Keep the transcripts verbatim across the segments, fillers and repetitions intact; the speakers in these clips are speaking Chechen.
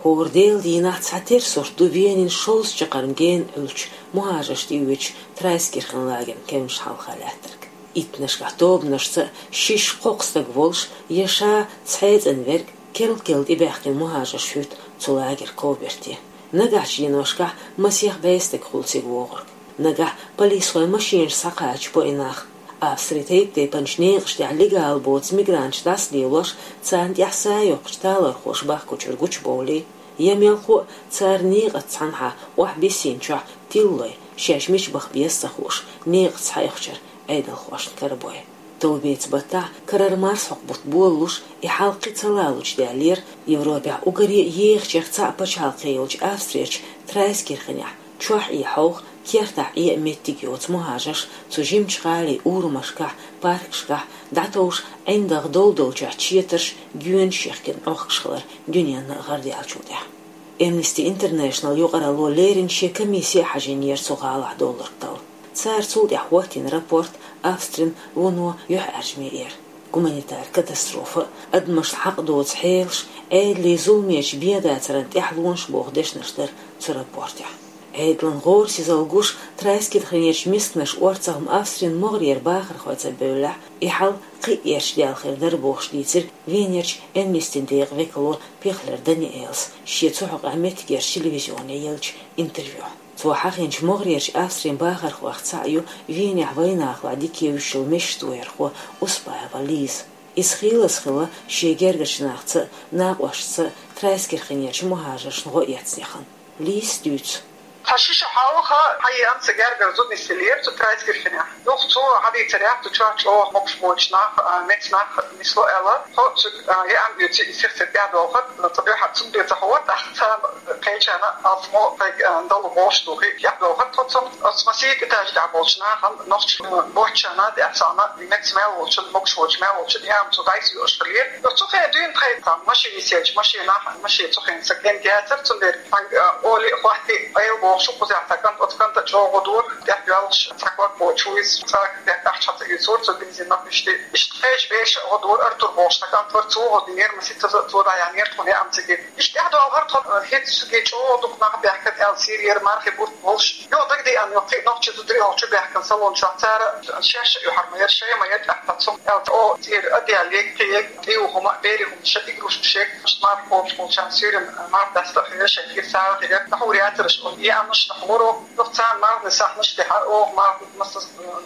ХӀора Делан дийнахь цхьатерра сурт ду Венин шовзткъа чаккхарма гена Ӏуьллучу мухӀажаршна тӀеоьцучу Трайскирхен лагеран кевнаш хьалха лаьттарг. Иттаннашкахь тобанашца шишша-кхоккха стаг волуш я ша цхьаьццӀанверг, керла-керла тӀебаьхкина мухӀажарш хӀуьтту цу лагеран ковберте. Нагахьчу деношкахь масех бӀе стаг хуьлу цига вогӀург. Нагахь полисхойн машинаш схьакхачабо и нах. Австрин тайп-тайпанчу некъаш тӀехь легал боцу мигранташ дӀасалелош, царна тӀехь са йоккхучу талорхоша бахкучуьра гучубовлий, я мелхо а цара некъаца цхьанхьа охьабиссинчохь тиллой, шаьш мича баха беза ца хууш, некъаца схьаихчуьра Ӏедалхошна карабой. Товбеца баттахь карара марсхьокху бутт болалуш, и хьал кхин ца лалучу даьллера Европехь уггаре а ехачех цхьаъ пачхьалкх йолчу Австрерчу Трайскирхенехь, чохь Ӏе хьовха, кертахь Ӏе а меттиг йоцу мухӀажарш цу жимачу гӀалин урамашкахь, паркашкахь дӀатовжа, ӀиндагӀ долу-долчохь четарш, гоьнаш яхкина Ӏохкуш хилар дуьненна а гӀарадаьллачул тӀаьхьа. Amnesty International юкъаралло леррина шен комисси а хьажийнера цу гӀалахь долларг талла. Цара цул тӀаьхьа хӀоттийна рапорт Австрин вуно юьхьӀаьржаме эр. Гуманитар катастрофа а, адамашна хьакъ доцу хьелаш, Ӏедалан зуламечу бен дацаран тӀаьхьалонаш боху дешнаш дара цу рапортехь. Ӏедалан гӀорасизалла гуш, Трайскирхенерчу мисканаш орцахь-м Австрин могӀарера бахархой ца бевллехь, и хьал кхин а герча даьлла хир дара бохуш дийцира Венерчу Amnesty-н декъан векало Пехлер Даниэлас шен цу хьокъехь меттигерчу телевизионе еллачу интервьюхь. Цо хьахийначу могӀарерчу Австрин бахархойх цхьаъ ю Венехь вайнахалахь дика евзаш йолу мешан тоярхо Успаева Лиза. Иза хийлаза хилла шен гергарчу нахаца а, накъосташца а Трайскирхенерчу мухӀажаршна гӀо эцнехь. Лизас дуьйцу. Тхан ши шо хьалха хьан еана сан гергара зуда нисделлера цу Трайскирхенехь. Юха цо хьадийцарехь, цу чохь чӀогӀа могуш боцу нах, а, меца нах нисло аьлла, тхо цуьнга, а, еана дуьйцу и сих-сиха тӀаьхьадохург, ца дуьхьа цундела ца хьовар, тӀаккха царна кхечарна алсамо тхайга, а, дала гӀош ду хи тӀаьхьадохург тхо цунна. Оцу масийтта этажа тӀехь болчу нахана, нохча, а, боцчарна, тӀаьхьа царна, и меца мел волчун, могуш волчу мел волчун, яма цу дӀайса йоуш хилира. Оцу хенахь дуьйна тхайн цхьа машина йисинчу машинахь, машина цу хенахь сан кӀентий яцара, цундела Хьан, а, олий а хӀоттий, айла бохуш ву кхузахь цхьа кӀант, оцу кӀанта чӀогӀа дора, тӀехь доьллуш цхьа ког боцуш ву иза, цкъа а тӀехь ахча хьаца юьйцура цо бензин нах иштта. Иштта кхечу бешан гӀо дора, Артур бохуш цхьа кӀант вара, цо гӀо динера, масийтта цо дӀаяьхьнера тхуна яа цига. Иштта тӀаьхьадохура тхо, а, хӀинца цига чӀогӀа дукха нах баьхкина аьлла, Сирера мархи бурт болуш. Юха дагадеана, юха кхин а нохчий зударий хьокху чу баьхкина салон чохь, цара шаьш а юьхьар ма яра, шай ма яра, тӀаккха цунна аьлла, о, цӀера а даьлла, ега кхин ега. ТӀе ву хӀума, берийн хӀума, шайн игрушкаш, шайга марха кхобуш болчарна суьйранна марха даста а хилира, шайн кхин сагӀа а хилира, дӀахьур яцара аша, и амнаш дӀахьура, юха царна марханан сахьташ тӀехь, оха марха масса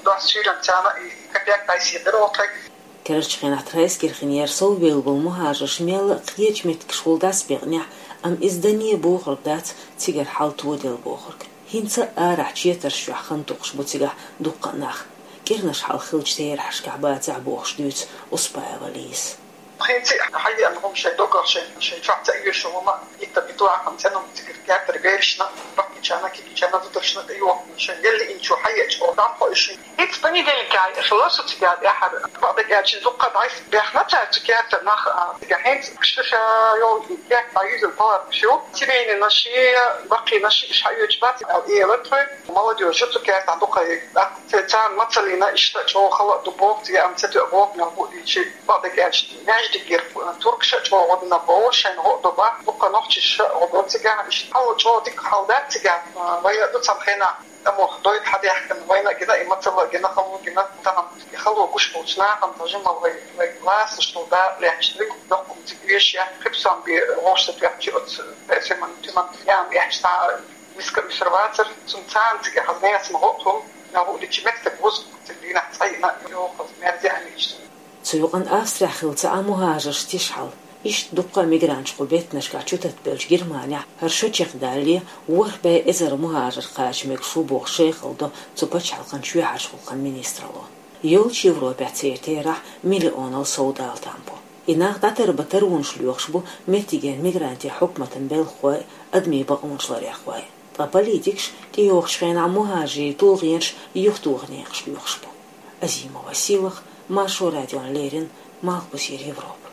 дос суьйранна царна и капек дӀасаехира оха тхайга. Карарчу хенахь Трайскирхенера совбевлла болу мухӀажарш мелла а кхечу меттигашкахула дӀасабекънехь, амма иза дане бохург дац цигара хьал тоделла бохург. ХӀинца а арахь четарш чохь хан токхуш бу цигахь дуккха а нах. КӀирнаш хьалха хиллачу терахьашкахь бацахь бохуш дуьйцу Успаева Лизас. ХӀинца а хьаеана хӀума шайн доггах, шайн, шайн чохь ца оьшу хӀума, иттан битваккхам цӀена хӀума цигара кертара берашна, баккхийчарна, кегийчарна, зударшна тӀейохкина, шайн елла инчу хьаеача, оха дӀакхойуш. ХӀинца понедельникехь хилла со цигара тӀаьхьара. Бакъдерг аьлча, дуккха дӀасабаьхна цара цу кертара нах, а, цигахь хӀинца ша йолу керта дӀаюьзна палаткаш ю. Семейныйнаш, баккхийнаш уьш хьаоьцуш бац аьлла, элира тхоьга. Молодёжь ю цу кертахь дукха. ТӀаккха царна мацаллина иштта чӀогӀа хала а ду боху, цигахь амма ца тоьа боху, мел хӀуъа дийчи, бакъдерг аьлча, маьждигера туркаша а чӀогӀа гӀо дина боху, шайна гӀо а до боху, дуккха нохчаша а гӀо до цигахь, иштта хьал чӀогӀа дика хьал дац цигахь, вай а ду цхьана хенахь, тӀамо дойта хьадаьхкина, вайна а гина, и мацалла а гина, хало а гина, тахана и хало гуш болчу нахана тхан жимма вай, вай ласташ долу да лаьтташ дерг, доккха цига вешаш яц, кхин псом бен вовшах тоьхчи оцу песиман, тиман ян яц, цхьа миска уьсур вацара, цунна царна цига хаза несан гӀо а хӀума, мел хӀуъа дийчи меттиг вуза, цига дийнахь цӀа йина, йохаза мерза а иштта. Цу юкъана Австрехь хилла цхьа а мухӀажарш тиша хьал. Иштта дуккха а мигранташ кху беттанашкахь чутатбелчу Германехь хӀара шо чекхдалале, ворхӀ бӀе эзар мухӀажар кхача мегаш ву боху шайхалла до цу пачхьалкхан чоьхьарчу гӀуллакхийн министралло. Йолчу Европехь церан терахь миллионал сов дала там бу. И нах дӀатарбан таронаш лоьхуш бу меттигерчу мигрантийн хьукматан белхахой а, адамийн бакъонаш ларъярхой а. Ткъа политикаш тӀейогӀучу хенахь мухӀажарийн тулгӀенаш юхатоха некъаш лоьхуш бу. Азимова Сийлаха, Маршо радиона леррина, Малхбузера Европа.